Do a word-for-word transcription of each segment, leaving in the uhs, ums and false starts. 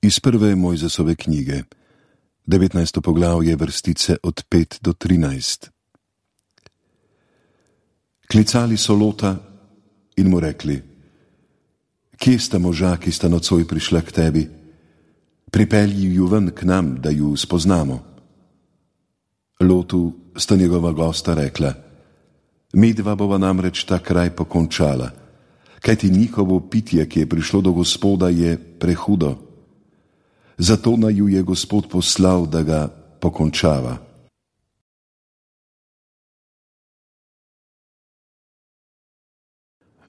Iz prve Mojzesove knjige, devetnajsto poglavje, vrstice od pet do trinajst. Klicali so Lota in mu rekli: Kje sta moža, ki sta nocoj prišla k tebi? Pripelji ju ven k nam, da ju spoznamo. Lotu sta njegova gosta rekla: Midva bova namreč ta kraj pokončala, kajti njihovo pitje, ki je prišlo do Gospoda, je prehudo. Zato naju je Gospod poslal, da ga pokončava.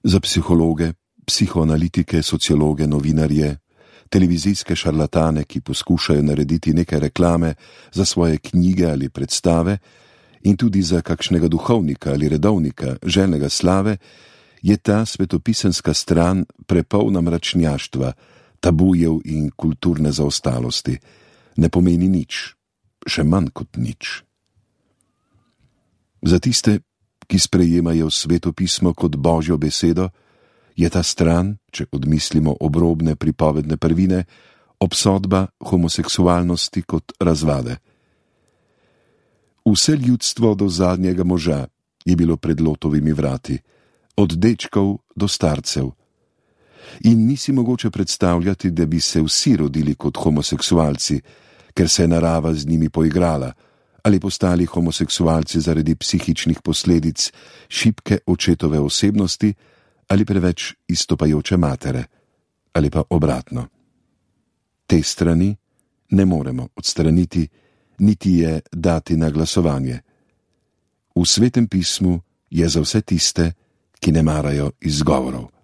Za psihologe, psihoanalitike, sociologe, novinarje, televizijske šarlatane, ki poskušajo narediti nekaj reklame za svoje knjige ali predstave, in tudi za kakšnega duhovnika ali redovnika, željnega slave, je ta svetopisenska stran prepolna mračnjaštva, tabujev in kulturne zaostalosti. Ne pomeni nič, še manj kot nič. Za tiste, ki sprejemajo Sveto pismo kot Božjo besedo, je ta stran, če odmislimo obrobne pripovedne prvine, obsodba homoseksualnosti kot razvade. Vse ljudstvo do zadnjega moža je bilo pred Lotovimi vrati, od dečkov do starcev. In ni si mogoče predstavljati, da bi se vsi rodili kot homoseksualci, ker se je narava z njimi poigrala, ali postali homoseksualci zaradi psihičnih posledic šibke očetove osebnosti ali preveč izstopajoče matere, ali pa obratno. Te strani ne moremo odstraniti, niti je dati na glasovanje. V Svetem pismu je za vse tiste, ki ne marajo izgovorov.